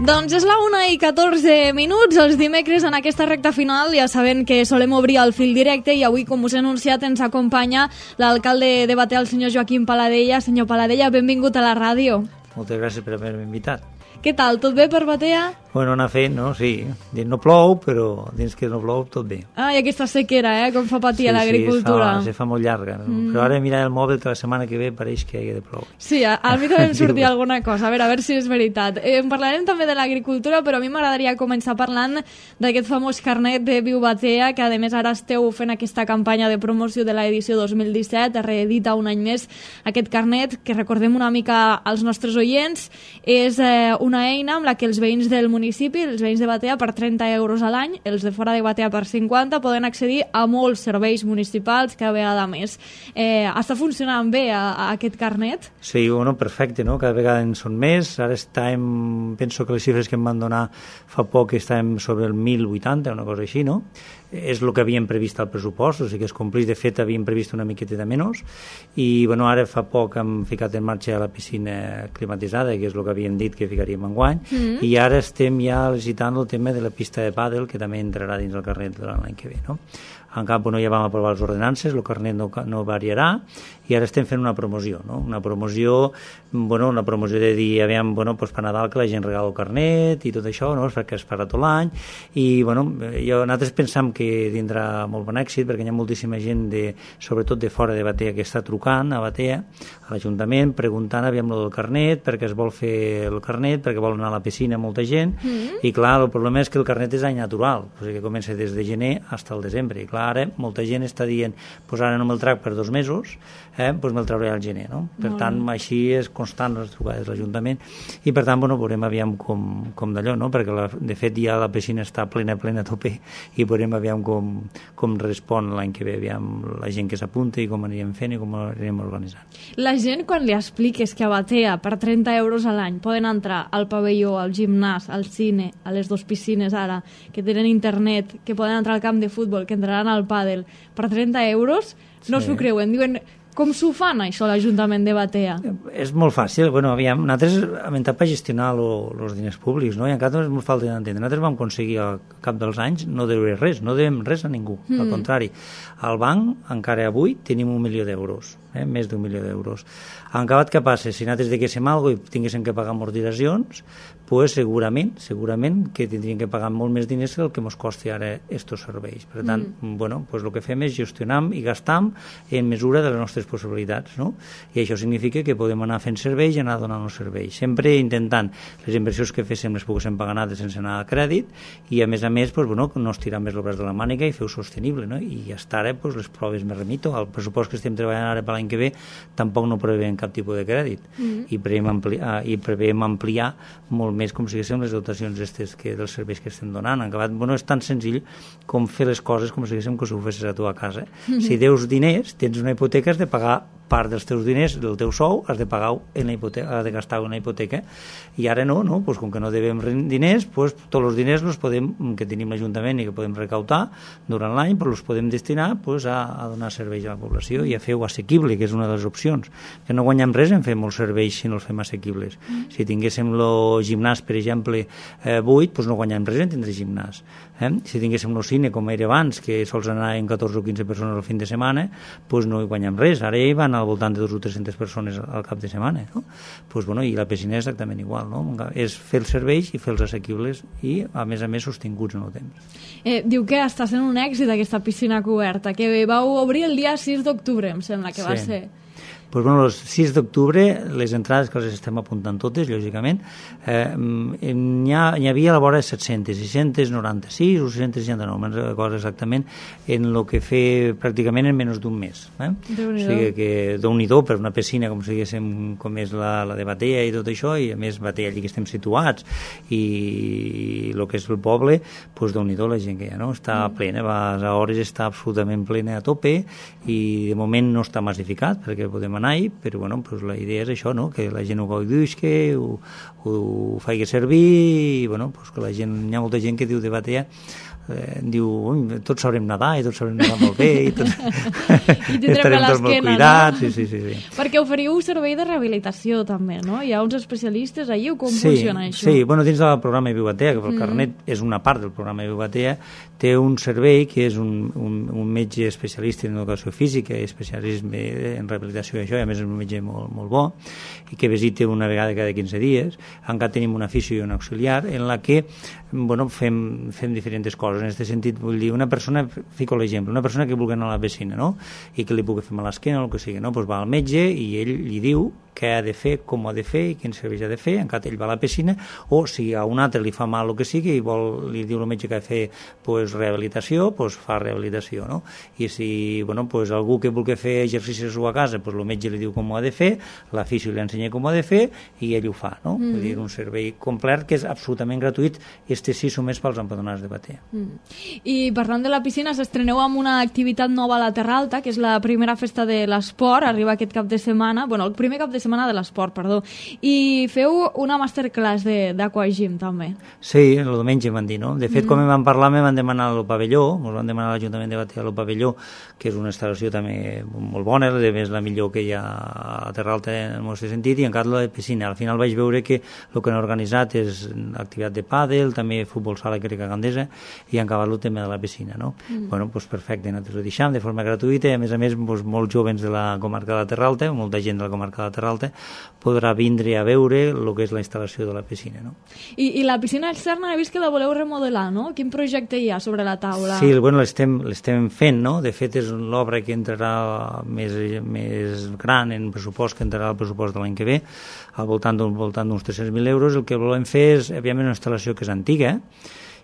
Doncs és la 1:14, els dimecres en aquesta recta final, ja sabent que solem obrir el fil directe i avui, com us he anunciat, ens acompanya l'alcalde de Batea, el senyor Joaquim Paladella. Senyor Paladella, benvingut a la ràdio. Moltes gràcies per haver-me invitat. Què tal, tot bé per Batea? Bueno, anar fent, no? Sí. Dins no plou, però dins que no plou tot bé. Ah, i aquesta sequera, com fa patir a l'agricultura. Sí, se fa molt llarga. No? Però ara mirar el mòbil que la setmana que ve pareix que hi ha de ploure. Sí, a mi també em sortia alguna cosa. A veure si és veritat. En parlarem també de l'agricultura, però a mi m'agradaria començar parlant d'aquest famós carnet de Viu Batea, que a més ara esteu fent aquesta campanya de promoció de l'edició 2017, reedita un any més aquest carnet, que recordem una mica als nostres oients, és una eina amb la que els veïns del municipi, els veïns de Batea, per 30 euros a l'any, els de fora de Batea per 50, poden accedir a molts serveis municipals cada vegada més. Està funcionant bé aquest carnet? Sí, bueno, perfecte, no? Cada vegada en són més. Ara penso que les xifres que em van donar fa poc estàvem sobre el 1.080, una cosa així, no? És el que havíem previst al pressupost, o sigui que es complís. De fet, havíem previst una miqueta de menys i bueno, ara fa poc hem ficat en marxa la piscina climatitzada, que és el que havíem dit que ficaríem enguany, i ara estem ja licitant el tema de la pista de pàdel, que també entrarà dins el carnet de l'any que ve, no? En cap, bueno, ja vam aprovar les ordenances, el carnet no variarà, i ara estem fent una promoció, no? Una promoció de dir, aviam, bueno, doncs per Nadal que la gent regala el carnet i tot això, no? Perquè es farà tot l'any, i bueno, nosaltres pensam que tindrà molt bon èxit, perquè hi ha moltíssima gent, sobretot de fora de Batea, que està trucant a Batea, a l'Ajuntament, preguntant, aviam, del carnet, perquè es vol fer el carnet, perquè vol anar a la piscina molta gent, i clar, el problema és que el carnet és any natural, o sigui que comença des de gener fins al desembre, i clar, ara molta gent està dient doncs ara no me'l trac per 2 mesos, doncs me'l trauré al gener, no? Per tant, així és constant les trucades de l'Ajuntament, i per tant, bueno, veurem aviam com d'allò, no? Perquè de fet ja la piscina està plena a tope, i veurem aviam com respon l'any que ve, aviam la gent que s'apunta i com anirem fent i com anirem organitzant. La gent, quan li expliques que a Batea per 30 euros a l'any poden entrar al pavelló, al gimnàs, al cine, a les 2 piscines ara, que tenen internet, que poden entrar al camp de futbol, que entraran al pàdel per 30 euros, no s'ho creuen. Diuen, com s'ho fan això l'Ajuntament de Batea? És molt fàcil. Bueno, aviam, nosaltres hem entrat per gestionar els diners públics, no? I encara és molt fàcil d'entendre. Nosaltres vam aconseguir al cap dels anys no deure res, no devem res a ningú. Al contrari, al banc encara avui tenim 1 milió d'euros, més d'1 milió d'euros. En acabat, què passa? Si nosaltres diguéssim alguna cosa i tinguéssim que pagar amortitzacions, pues segurament que tindríem que pagar molt més diners que el que ens costi ara estos serveis. Per tant, bueno, pues el que fem és gestionar i gastar en mesura de les nostres possibilitats, no? I això significa que podem anar fent serveis i anar donant els serveis. Sempre intentant les inversions que féssim les poguéssim pagar nosaltres sense anar a crèdit, i a més, pues, bueno, no estirar més el braç de la màniga i fer-ho sostenible, no? I ja està ara, pues, les proves me remito. El pressupost que estem treballant ara per l'any que ve tampoc no preveiem cap tipus de crèdit, i preveiem ampliar molt més, com si diguéssim, les dotacions dels serveis que estem donant. En acabat, bueno, és tan senzill com fer les coses com si diguéssim que ho fessis a tu a casa. Si deus diners, tens una hipoteca, has de pagar part dels teus diners, del teu sou, has de pagar en la hipoteca, has de gastar una hipoteca, i ara no? Pues com que no devem diners, pues tots els diners que tenim l'Ajuntament i que podem recautar durant l'any, pues els podem destinar pues, a donar serveis a la població i a fer-ho assequible, que és una de les opcions. Que no guanyem res en fer molts serveis si no els fem assequibles. Si tinguéssim el gimnàs, per exemple, buit, pues no guanyem res en tindre gimnàs. Si tinguéssim el cine, com era abans, que sols anaven 14 o 15 persones al fin de setmana, pues no hi guanyem res. Ara hi van al voltant de 200 o 300 persones al cap de setmana, no? Pues, bueno, i la piscina és exactament igual, no? És fer els serveis i fer els assequibles i, a més sostinguts en el temps. Diu que està sent un èxit aquesta piscina coberta, que vau obrir el dia 6 d'octubre, em sembla que va ser. Pues, bueno, el 6 d'octubre, les entrades que les estem apuntant totes, lògicament, n'hi havia a la vora de 696 o 669, me'n recordo exactament, en el que fer pràcticament en menys d'un mes. O sigui que Déu-n'hi-do per una piscina, com si diguéssim, com és la de Batea i tot això, i a més Batea allí que estem situats, i el que és el poble, pues Déu-n'hi-do la gent que hi ha, no? Està plena, a hores està absolutament plena a tope, i de moment no està massificat, perquè podem anar, però bueno, pues la idea és això, no? Que la gent ho gaudisca, ho faci servir, i bueno, pues que la gent, hi ha molta gent que diu de Batea diu, tots sabrem nedar i tots sabrem nedar molt bé i tots I estarem tots molt cuidats. No? Sí. Perquè oferiu servei de rehabilitació també, no? Hi ha uns especialistes allí o com funciona això? Sí, bueno, dins del programa Viubatea, que el carnet és una part del programa Viubatea, té un servei que és un metge especialista en educació física i especialista en rehabilitació i això, i a més és un metge molt bo, i que visita una vegada cada 15 dies. Encara tenim un aficio i un auxiliar en la que fem diferents coses. En aquest sentit, vull dir, una persona, fico l'exemple, una persona que vulgui anar a la piscina, no? I que li pugui fer mal a l'esquena o el que sigui, no? Pues va al metge i ell li diu què ha de fer, com ho ha de fer i quins serveis ha de fer, encara ell va a la piscina, o si a un altre li fa mal el que sigui i li diu el metge que ha de fer pues, rehabilitació, pues, fa rehabilitació, no? I si pues, algú que vulgui fer exercicis a casa, pues, el metge li diu com ho ha de fer, l'afició li ensenya com ho ha de fer i ell ho fa, no? Vull dir, un servei complet que és absolutament gratuït, este sí només pels empadronats de Batea. I parlant de la piscina, s'estreneu amb una activitat nova a la Terra Alta, que és la primera festa de l'esport, arriba aquest cap de setmana, el primer cap de setmana de l'esport, perdó, i feu una masterclass d'aquagym també. Sí, el diumenge em van dir, no? De fet, quan em van parlar, me van demanar al pavelló, ens van demanar a l'Ajuntament de Batea al pavelló, que és una instal·lació també molt bona, a més la millor que hi ha a la Terra Alta en el nostre sentit, i encara la de piscina. Al final vaig veure que el que han organitzat és activitat de pàdel, també futbol sala crec a Gandesa, i han acabat el tema de la piscina, no? Bueno, doncs perfecte, nosaltres ho deixem de forma gratuïta i a més molts jovens de la comarca de la Terra Alta, molta gent de la comarca de la Terra Alta podrà vindre a veure el que és la instal·lació de la piscina, no? I la piscina externa he vist que la voleu remodelar, no? Quin projecte hi ha sobre la taula? Sí, bueno, l'estem fent, no? De fet, és l'obra que entrarà més gran en pressupost, que entrarà al pressupost de l'any que ve, al voltant d'uns 300.000 euros. El que volem fer és, òbviament, una instal·lació que és antiga,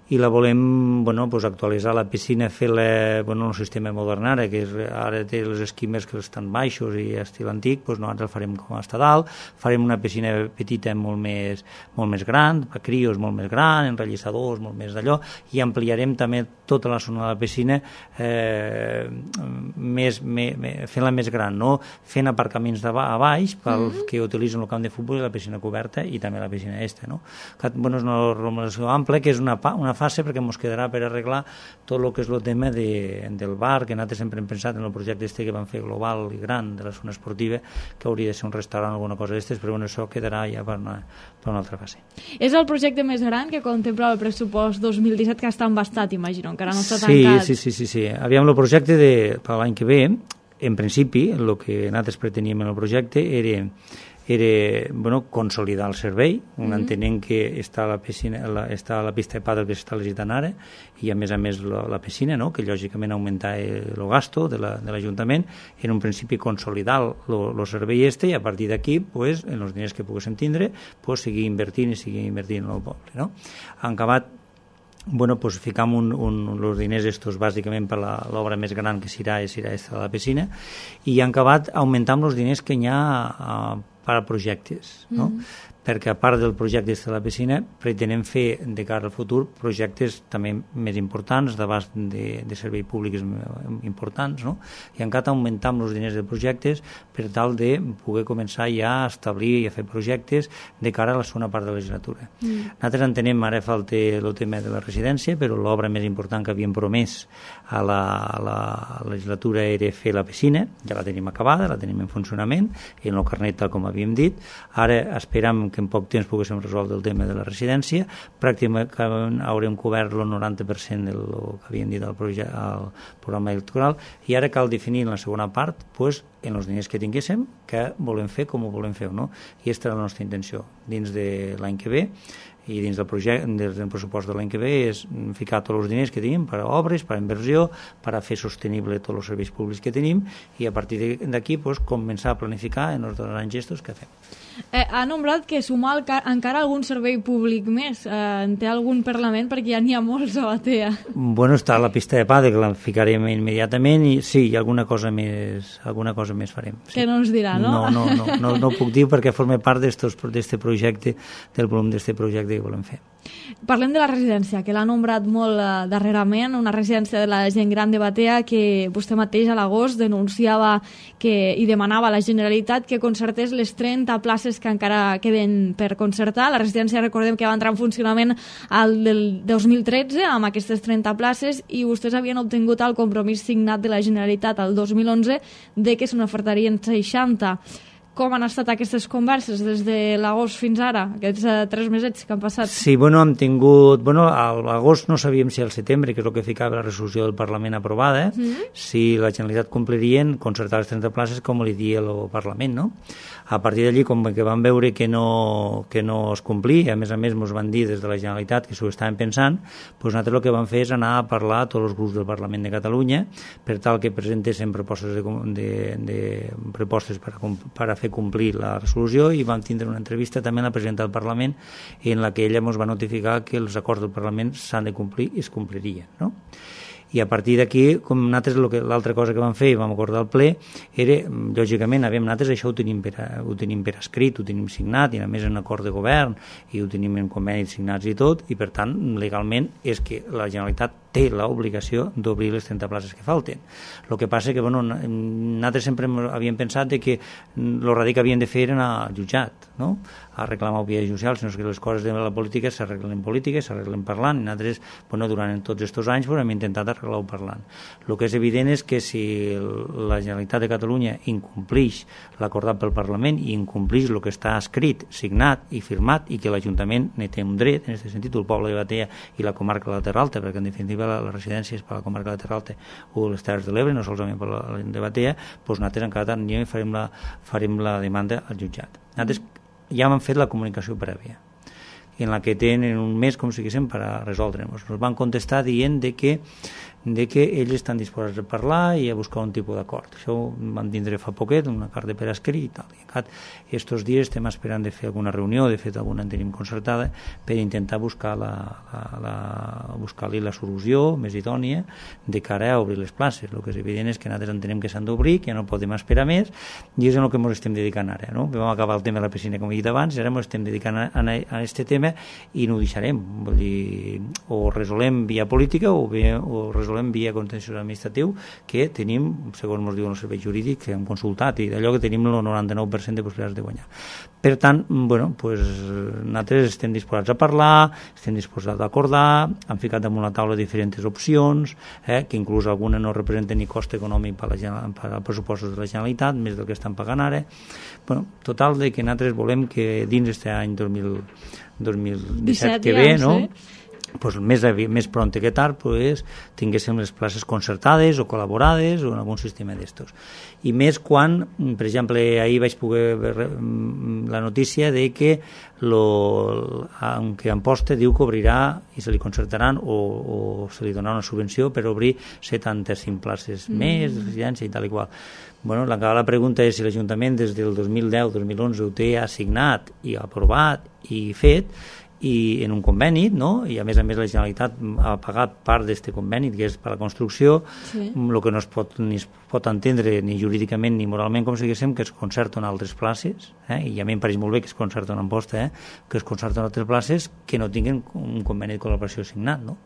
i la volem actualitzar la piscina, fer-la un sistema modern ara, que ara té les esquimes que estan baixos i estil antic, nosaltres el farem com està dalt, farem una piscina petita molt més gran, per crios molt més gran, enrellissadors, molt més d'allò, i ampliarem també tota la zona de la piscina fent-la més gran, no? Fent aparcaments a baix pels que utilitzen el camp de futbol i la piscina coberta i també la piscina és una remodelació ampla, que és una fase perquè ens quedarà per arreglar tot el que és el tema del bar, que nosaltres sempre hem pensat en el projecte que van fer global i gran de la zona esportiva, que hauria de ser un restaurant o alguna cosa d'estes, però això quedarà ja per una altra fase. És el projecte més gran que contempla el pressupost 2017, que està embastat, imagino, encara no està tancat. Sí. Aviam, el projecte per l'any que ve, en principi, el que nosaltres preteníem en el projecte era consolidar el servei, entenent que està la piscina, està la pista de pàdel que s'està licitant ara, i a més la piscina, no? Que lògicament augmentar el gasto de l'Ajuntament, en un principi consolidar el servei i a partir d'aquí, en els diners que poguéssim tindre, seguir invertint en el poble, no? Han acabat ficam els diners estos bàsicament per l'obra més gran que serà esta de la piscina, i han acabat augmentant els diners que hi ha per a projectes, no? Perquè a part del projecte de la piscina pretenem fer de cara al futur projectes també més importants, d'abast de serveis públics importants, no? I encara augmentam els diners de projectes per tal de poder començar ja a establir i a fer projectes de cara a la segona part de la legislatura. Nosaltres entenem, ara falta el tema de la residència, però l'obra més important que havíem promès a la legislatura era fer la piscina, ja la tenim acabada, la tenim en funcionament, en el carnet tal com havíem dit. Ara esperam que en poc temps poguéssim resoldre el tema de la residència, pràcticament haurem cobert el 90% del que havíem dit al programa electoral, i ara cal definir en la segona part, en els diners que tinguéssim, què volem fer, com ho volem fer, no? I aquesta és la nostra intenció. Dins de l'any que ve i dins del pressupost de l'any que ve és ficar tots els diners que tenim per a obres, per a inversió, per a fer sostenible tots els serveis públics que tenim, i a partir d'aquí començar a planificar en els grans gestos que fem. Ha nombrat que sumar encara algun servei públic més. En té algun Parlament? Perquè ja n'hi ha molts a Batea. Està la pista de pàdel, que la ficarem immediatament, i sí, alguna cosa més farem. Sí. Que no ens dirà, no? No ho puc dir perquè forma part d'este projecte, del volum d'este projecte que volem fer. Parlem de la residència, que l'ha nombrat molt darrerament, una residència de la gent gran de Batea, que vostè mateix a l'agost denunciava i demanava a la Generalitat que concertés les 30 places places que encara queden per concertar. La residència, recordem que va entrar en funcionament al del 2013 amb aquestes 30 places i vostès havien obtingut el compromís signat de la Generalitat al 2011 de que se n'ofertarien 60. Com han estat aquestes converses des de l'agost fins ara, aquests 3 mesets que han passat? Sí, hem tingut... a l'agost no sabíem si al setembre, que és el que ficava la resolució del Parlament aprovada, si la Generalitat complirien concertar les 30 places com li dia el Parlament, no? A partir d'allí, com que vam veure que no es complia, a més ens van dir des de la Generalitat que s'ho estaven pensant, doncs nosaltres el que vam fer és anar a parlar a tots els grups del Parlament de Catalunya per tal que presentessin propostes per a fer complir la resolució, i vam tindre una entrevista també amb la presidenta del Parlament en la que ella ens va notificar que els acords del Parlament s'han de complir i es complirien, no? I a partir d'aquí, com nosaltres l'altra cosa que vam fer i vam acordar al ple era, lògicament, nosaltres això ho tenim per escrit, ho tenim signat, i a més en acord de govern, i ho tenim en convenis signats i tot, i per tant, legalment, és que la Generalitat té l'obligació d'obrir les 30 places que falten. El que passa que, nosaltres sempre havíem pensat que el ràdio que havíem de fer era anar al jutjat, no?, a reclamar vies judicials, sinó que les coses de la política s'arreglen parlant, i nosaltres, durant tots aquests anys hem intentat arreglar-ho parlant. El que és evident és que si la Generalitat de Catalunya incomplix l'acordat pel Parlament i incomplix el que està escrit, signat i firmat, i que l'Ajuntament ne té un dret, en aquest sentit, el poble de Batea i la comarca de la Terra Alta, perquè en definitiva la residència és per la comarca de la Terra Alta o les Terres de l'Ebre, no solament per la de Batea, doncs nosaltres encara anirem i farem la demanda al jutjat. Nosaltres ja hem fet la comunicació prèvia, en la que tenen un mes, com si diguéssim, per a resoldre-nos. Ens van contestar dient de que ells estan disposats a parlar i a buscar un tipus d'acord. Això ho vam tindre fa poquet, una carta per escrit i tal. I aquests dies estem esperant de fer alguna reunió, de fet alguna en tenim concertada, per intentar buscar-li la solució més idònia de cara a obrir les places. El que és evident és que nosaltres entenem que s'han d'obrir, que no podem esperar més, i és en el que ens estem dedicant ara, no? Vam acabar el tema de la piscina, com he dit abans, i ara ens estem dedicant a aquest tema i no ho deixarem. Vull dir, o resolem via política o resolem via contenciós administratiu, que tenim, segons ens diuen els serveis jurídics que hem consultat, i d'allò que tenim el 99% de possibilitats de guanyar. Per tant, nosaltres estem disposats a parlar, estem disposats a acordar, hem ficat damunt la taula diferents opcions, que inclús alguna no representen ni cost econòmic per als pressupostos de la Generalitat, més del que estan pagant ara. Total, de que nosaltres volem que dins d'aquest any 2017 que ve, no? Més pront que tard tinguéssim les places concertades o col·laborades o en algun sistema d'estos. I més quan, per exemple, ahir vaig poder veure la notícia de que aunque Amposta diu que obrirà i se li concertaran o se li donarà una subvenció per obrir 75 places més de residència i tal i qual. La pregunta és si l'Ajuntament des del 2010-2011 ho té assignat i aprovat i fet, i en un conveni, no? I a més la Generalitat ha pagat part d'aquest conveni, que és per la construcció, el que no es pot entendre ni jurídicament ni moralment, com si diguéssim, que es concerten altres places, i a mi em pareix molt bé que es concerten en Amposta, que es concerten altres places que no tinguin un conveni de col·laboració signat, no?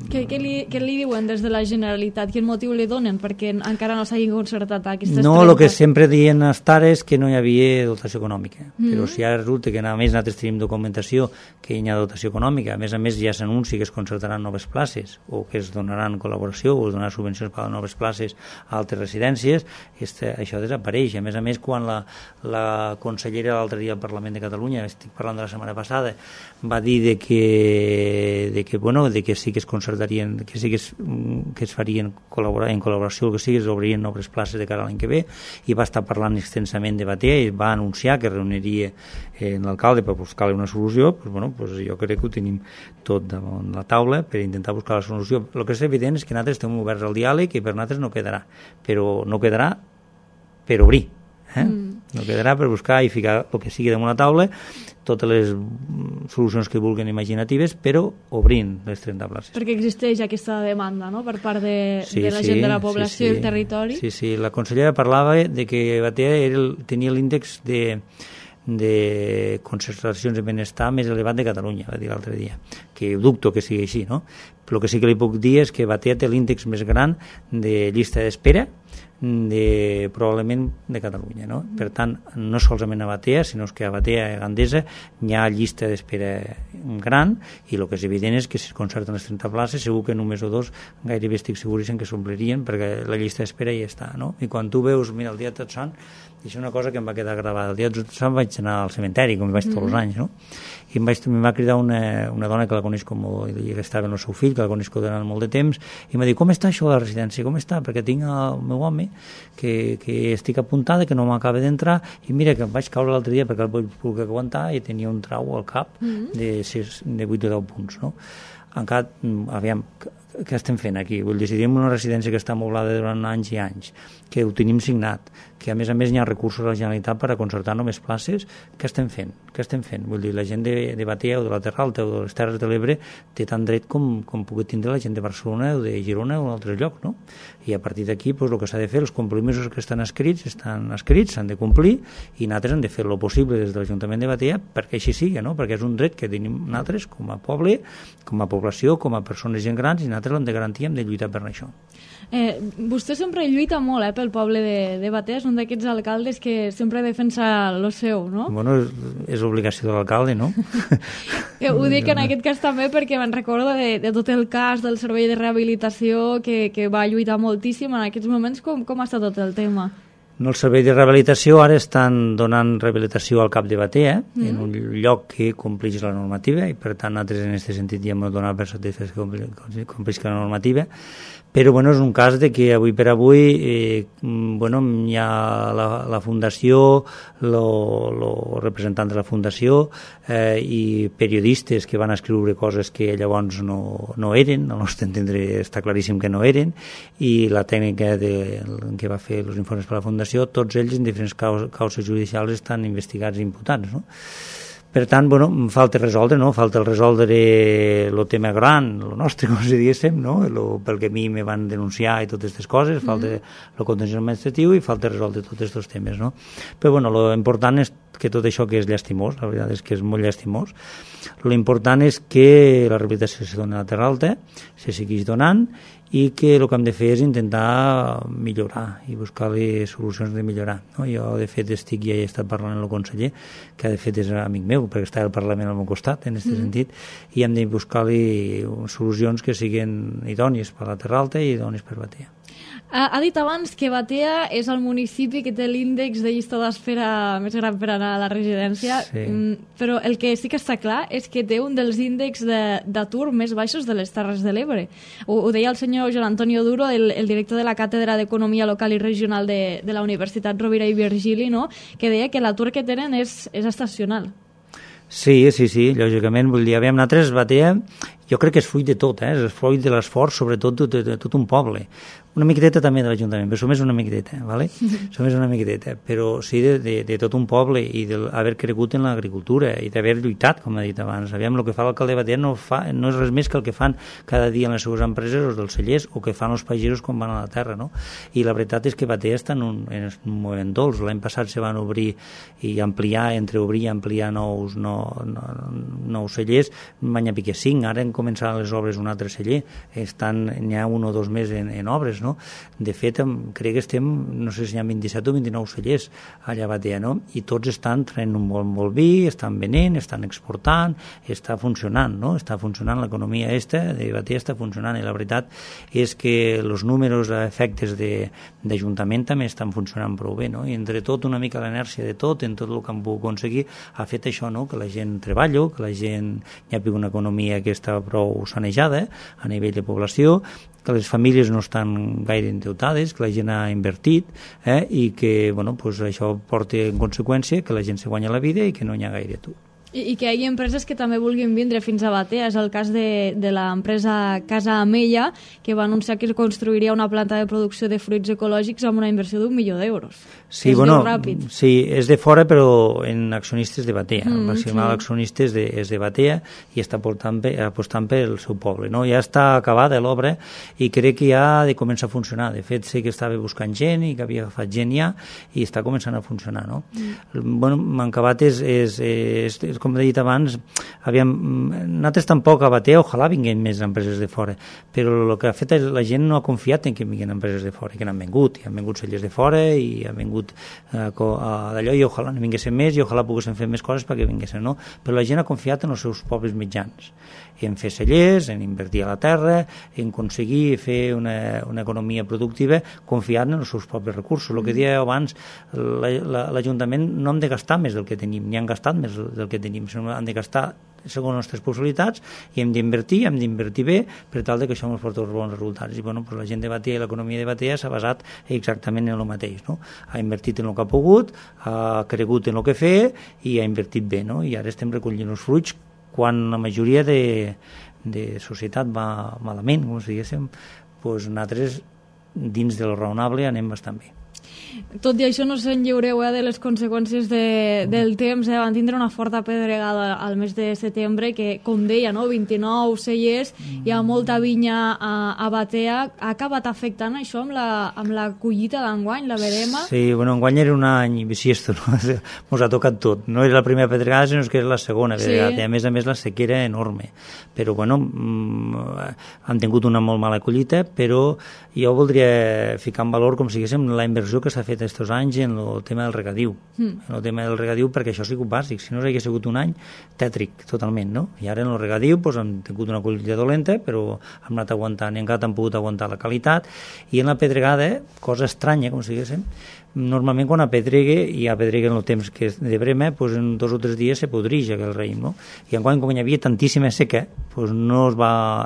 Què li diuen des de la Generalitat? Quin motiu li donen perquè encara no s'hagin concertat aquestes 30? No, el que sempre diuen estar és que no hi havia dotació econòmica, però si ara resulta que a més nosaltres tenim documentació que hi ha dotació econòmica, a més ja s'anunci que es concertaran noves places o que es donaran col·laboració o es donaran subvencions per a noves places a altres residències, això desapareix. A més, quan la consellera l'altre dia al Parlament de Catalunya, estic parlant de la setmana passada, va dir de que sí que es concertarien, que sí que es farien en col·laboració, el que sigui, es obrien noves places de cara a l'any que ve, i va estar parlant extensament de Batea i va anunciar que reuniria l'alcalde per buscar-li una solució. Jo crec que ho tenim tot damunt la taula per intentar buscar la solució. El que és evident és que nosaltres estem oberts al diàleg i per nosaltres no quedarà, però no quedarà per obrir, no quedarà per buscar i ficar el que sigui damunt la taula, totes les solucions que vulguin imaginatives, però obrint les 30 places. Perquè existeix aquesta demanda, no?, per part de la gent de la població i el territori. Sí, la consellera parlava de que Batea tenia l'índex de concentracions de benestar més elevat de Catalunya, va dir l'altre dia, que dubto que sigui així, no? Però el que sí que li puc dir és que Batea té l'índex més gran de llista d'espera probablement de Catalunya, no? Per tant, no solament a Batea, sinó que a Batea i a Gandesa hi ha llista d'espera gran, i el que és evident és que si es concerten les 30 places, segur que en un mes o dos gairebé estic seguríssim que s'omplirien, perquè la llista d'espera ja està, no? I quan tu veus, mira, el dia de Tots Sants, i això és una cosa que em va quedar gravada, el dia de Tots Sants vaig anar al cementeri, com vaig tots els anys, no? I em va cridar una dona que la coneix que estava amb el seu fill, que la coneix durant molt de temps, i em va dir, com està això de la residència, com està? Perquè tinc el meu home que estic apuntada, que no m'acaba d'entrar, i mira que em vaig caure l'altre dia perquè el vaig poder aguantar i tenia un trau al cap de 8 o 10 punts, no? Encara, aviam, què estem fent aquí? Vull dir, si tenim una residència que està amoblada durant anys i anys, que ho tenim signat, que a més hi ha recursos a la Generalitat per a concertar només places, què estem fent? Vull dir, la gent de Batea o de la Terra Alta o de les Terres de l'Ebre té tant dret com pugui tindre la gent de Barcelona o de Girona o d'altres llocs, no? I a partir d'aquí, el que s'ha de fer, els compromisos que estan escrits, s'han de complir, i nosaltres hem de fer el possible des de l'Ajuntament de Batea perquè així sigui, no? Perquè és un dret que tenim nosaltres com a poble, com a població, com a persones gent grans, i nosaltres l'hem de garantir, hem de lluitar per això. Vostè sempre lluita molt pel poble de Batea, és un d'aquests alcaldes que sempre defensa lo seu, no? Bueno, és obligació de l'alcalde, no? Ho dic en aquest cas també perquè me'n recordo de tot el cas del servei de rehabilitació que va lluitar moltíssim en aquests moments. Com està tot el tema? No, el servei de rehabilitació ara estan donant rehabilitació al cap de Batea, en un lloc que compleix la normativa, i per tant nosaltres en aquest sentit ja hem donat per satisfet que compleix la normativa. Però bueno, és un cas de que avui per avui hi ha la fundació, el representant de la fundació i periodistes que van escriure coses que llavors no eren, al nostre entendre està claríssim que no eren, i la tècnica que va fer els informes per la fundació, tots ells en diferents causes judicials estan investigats i imputats, no? Per tant, bueno, falta resoldre, no? Falta resoldre el tema gran, el nostre, com si diguéssim, no? Pel que a mi me van denunciar i totes aquestes coses, falta el contenciós administratiu i falta resoldre tots aquests temes, no? Però, bueno, l'important és que tot això que és llastimós, la veritat és que és molt llastimós, l'important és que la rehabilitació se doni a la Terra Alta, se segueix donant, i que el que hem de fer és intentar millorar i buscar-li solucions de millorar, no? Jo, de fet, ja he estat parlant amb el conseller, que de fet és amic meu, perquè està al Parlament al meu costat, en aquest sentit, i hem de buscar-li solucions que siguin idònies per la Terra Alta i idònies per Batea. Ha dit abans que Batea és el municipi que té l'índex de llista d'espera més gran per anar a la residència, sí. Però el que sí que està clar és que té un dels índexs d'atur més baixos de les Terres de l'Ebre. Ho deia el senyor Joan Antonio Duro, el director de la Càtedra d'Economia Local i Regional de la Universitat Rovira i Virgili, no? Que deia que l'atur que tenen és estacional. Sí, lògicament, vull dir, nosaltres Batea, jo crec que és fruit de tot, és fruit de l'esforç, sobretot de tot un poble. Una miqueteta també de l'Ajuntament, però només una miqueteta, ¿vale? Només una miqueteta, però sí de tot un poble i d'haver cregut en l'agricultura i d'haver lluitat, com he dit abans. Aviam, el que fa l'alcalde Batea no és res més que el que fan cada dia en les seves empreses els dels cellers o que fan els pagesos quan van a la terra, no? I la veritat és que Batea està en un moment dolç. L'any passat se van obrir i ampliar, entre obrir i ampliar nous cellers, n'hi ha pique 5, ara han començat les obres un altre celler, n'hi ha 1 o 2 més en obres, no? De fet, crec que estem, no sé si hi ha 27 o 29 cellers allà a Batea, no? I tots estan traient un molt vi, estan venent, estan exportant, està funcionant, no? Està funcionant l'economia de Batea, està funcionant, i la veritat és que els números efectes d'Ajuntament també estan funcionant prou bé, no? I entre tot, una mica l'inèrcia de tot, en tot el que han pogut aconseguir, ha fet això, no? Que la gent treballa, que la gent hi ha una economia que està prou sanejada a nivell de població, que les famílies no estan gaire endeutades, que la gent ha invertit i que això porta en conseqüència que la gent se guanya la vida i que no hi ha gaire atur. I que hi ha empreses que també vulguin vindre fins a Batea. És el cas de l'empresa Casa Amella, que va anunciar que construiria una planta de producció de fruits ecològics amb una inversió d'1 milió d'euros. Sí, sí, és de fora, però en accionistes de Batea. El maximal accionistes és de Batea i està apostant pel seu poble, no? Ja està acabada l'obra i crec que ja ha de començar a funcionar. De fet, sé que estava buscant gent i que havia agafat gent ja i està començant a funcionar, no? Mancabat és com he dit abans, nosaltres tampoc a Batea, ojalà vinguin més empreses de fora, però el que ha fet la gent no ha confiat en que vinguin empreses de fora, que n'han vingut, i han vingut cellers de fora, i han vingut d'allò, i ojalà no vinguessin més, i ojalà poguessin fer més coses perquè vinguessin, no? Però la gent ha confiat en els seus propis mitjans, en fer cellers, en invertir a la terra, en aconseguir fer una economia productiva confiant en els seus propis recursos. El que deia abans, l'Ajuntament no hem de gastar més del que tenim, ni han gastat més del que tenim, sinó han de gastar segons les nostres possibilitats, i hem d'invertir bé per tal que això ens porti els bons resultats. I bueno, la gent de Batea i l'economia de Batea s'ha basat exactament en el mateix, no? Ha invertit en el que ha pogut, ha cregut en el que fer i ha invertit bé, no? I ara estem recollint els fruits quan la majoria de societat va malament, com si diguéssim, doncs nosaltres dins de lo raonable anem bastant bé. Tot i això no se'n lliureu de les conseqüències del temps, van tindre una forta pedregada al mes de setembre que, com deia, 29 cellers, hi ha molta vinya a Batea. Ha acabat afectant això amb la collita d'enguany, la verema? Sí, bueno, enguany era un any bisiesto, no? Ens ha tocat tot. No era la primera pedregada, sinó que era la segona pedregada. I a més la sequera enorme. Però, bueno, han tingut una molt mala collita, però jo voldria ficar en valor, com si diguéssim, la inversió que s'ha fet aquests anys en el tema del regadiu. En el tema del regadiu, perquè això ha sigut bàsic. Si no hagués sigut un any tètric, totalment, no? I ara en el regadiu hem tingut una collita dolenta, però hem anat aguantant i encara hem pogut aguantar la qualitat. I en la pedregada, cosa estranya, com si diguéssim, normalment quan apedregue en el temps que és de brema, doncs en 2 o 3 dies se podreix aquell raïm, no? I enguany, com hi havia tantíssima seca, doncs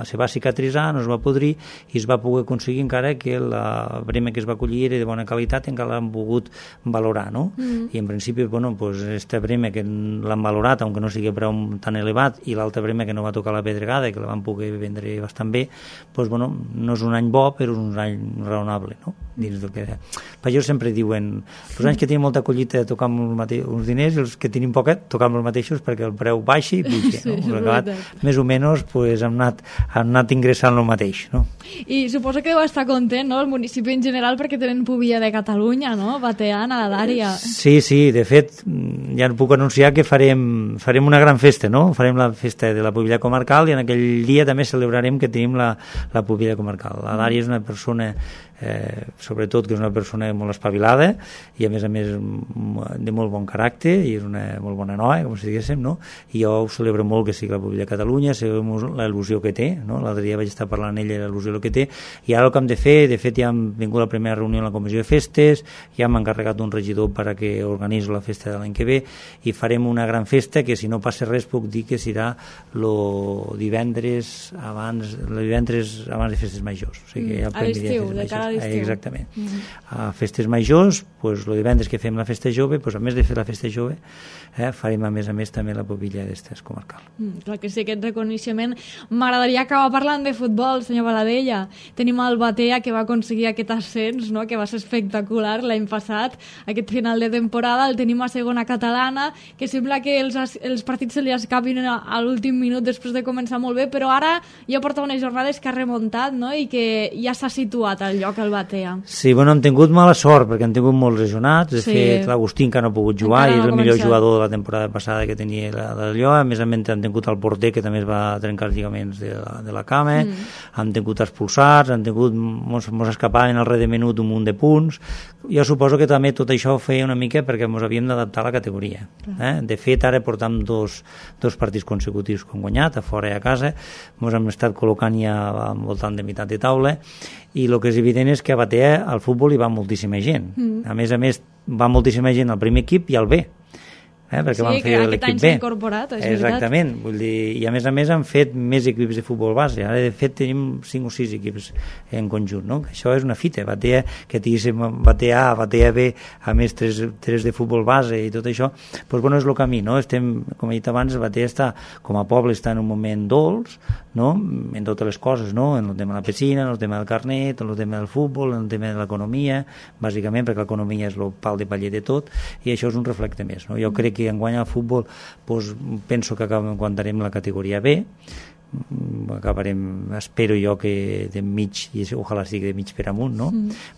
se va cicatritzar, no es va podrir i es va poder aconseguir encara que la brema que es va collir era de bona qualitat, encara l'han pogut valorar, no? I en principi, bueno, doncs aquesta brema que l'han valorat, aunque no sigui preu tan elevat, i l'altra brema que no va tocar la pedregada, que la van poder vendre bastant bé, doncs, bueno, no és un any bo, però és un any raonable, no? Dins del que... Però sempre diuen, els anys que tenim molta collita tocam uns diners, i els que tenim poca tocam els mateixos perquè el preu baixi i puja, no? Sí, acabat, més o menys pues, hem anat ingressant el mateix, no? I suposo que deu estar content, no?, el municipi en general, perquè tenen pubilla de Catalunya, no?, bateana, a l'àrea. Sí, de fet, ja puc anunciar que farem una gran festa, no? Farem la festa de la pubilla comarcal i en aquell dia també celebrarem que tenim la pubilla comarcal. L'Ària és una persona sobretot que és una persona molt espavilada i a més de molt bon caràcter i és una molt bona noia, com si diguéssim, no? I jo ho celebro molt que sigui la pubilla de Catalunya, sabem l'il·lusió que té, no? L'altre dia vaig estar parlant amb ella de l'il·lusió que té, i ara el que hem de fer, de fet ja hem vingut a la primera reunió en la comissió de festes, ja hem encarregat un regidor perquè organitzi la festa de l'any que ve i farem una gran festa que si no passa res puc dir que serà el divendres abans de festes majors, o sigui, a l'estiu, de cara a l'estiu. Exactament. A festes majors, doncs, el divendres que fem la festa jove, doncs, a més de fer la festa jove, farem a més també la pubilla d'estes comarcal. Clar que sí, aquest reconeixement. M'agradaria acabar parlant de futbol, senyor Baladella. Tenim el Batea, que va aconseguir aquest ascens, no?, que va ser espectacular l'any passat, aquest final de temporada. El tenim a segona catalana, que sembla que els partits se li escapin a l'últim minut després de començar molt bé, però ara ja porta unes jornades que ha remuntat, no?, i que ja s'ha situat al lloc el Batea. Sí, bueno, hem tingut mala sort perquè hem tingut molts lesionats. De fet, l'Agustín que no ha pogut jugar i és el millor jugador de la temporada passada que tenia d'allò. A més hem tingut el porter que també es va trencar els lligaments de la cama, hem tingut expulsats, mos escapaven al res de menut un munt de punts. Jo suposo que també tot això ho feia una mica perquè ens havíem d'adaptar a la categoria. De fet, ara portam dos partits consecutius que hem guanyat, a fora i a casa, ens hem estat col·locant ja al voltant de meitat de taula, i el que és evident és que a Batea al futbol hi va moltíssima gent. A més, va moltíssima gent al primer equip i al B. Perquè van fer aquest any s'ha incorporat, és veritat. Exactament, vull dir, i a més han fet més equips de futbol base. Ara de fet tenim 5 o 6 equips en conjunt, no? Això és una fita, Batea, que tinguéssim Batea A, Batea B, a més 3 de futbol base i tot això, doncs bueno, és el camí, no? Estem, com he dit abans, Batea està, com a poble, està en un moment dolç, no?, en totes les coses, no?, en el tema de la piscina, en el tema del carnet, en el tema del futbol, en el tema de l'economia, bàsicament perquè l'economia és el pal de paller de tot, i això és un reflecte més, no? Jo crec que enguany al futbol penso que aguantarem la categoria B, acabarem, espero jo que de mig, i ojalà sigui de mig per amunt, no?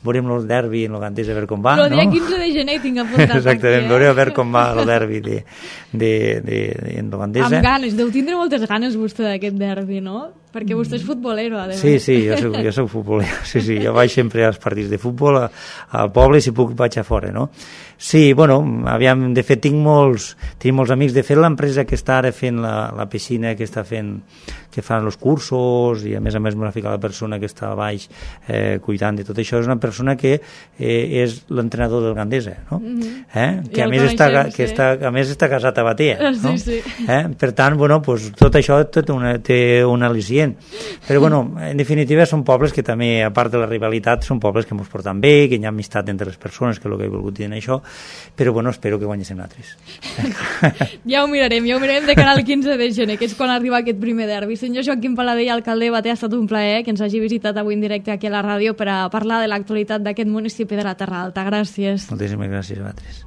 Veurem el derbi en el Gandesa a veure com va, no? El dia 15 de gener tinc apuntat. Exactament, veurem a veure com va el derbi en el Gandesa. Amb ganes, deu tindre moltes ganes vostè d'aquest derbi, no? Perquè vostè és futbolero, a més. Sí, jo soc futbolero, sí, jo vaig sempre als partits de futbol al poble i si puc vaig a fora, no? Sí, bueno, aviam, de fet tinc molts amics, de fet l'empresa que està ara fent la piscina, que fan els cursos i a més m'ha ficat la persona que està a baix cuidant de tot això, és una persona que és l'entrenador del Gandesa, no? Que a més està casat a Batea, no? Sí. Per tant, bueno, pues, tot això té un al·licient, però bueno, en definitiva són pobles que també, a part de la rivalitat, són pobles que ens porten bé, que hi ha amistat entre les persones, que és el que he volgut dir en això, però bueno, espero que guanyéssim altres. Ja ho mirarem de cara al 15 de gener, que és quan arriba aquest primer derbi. Senyor Joaquim Paladell, alcalde de Batea, ha estat un plaer que ens hagi visitat avui en directe aquí a la ràdio per a parlar de l'actualitat d'aquest municipi de la Terra Alta. Gràcies. Moltíssimes gràcies a vosaltres.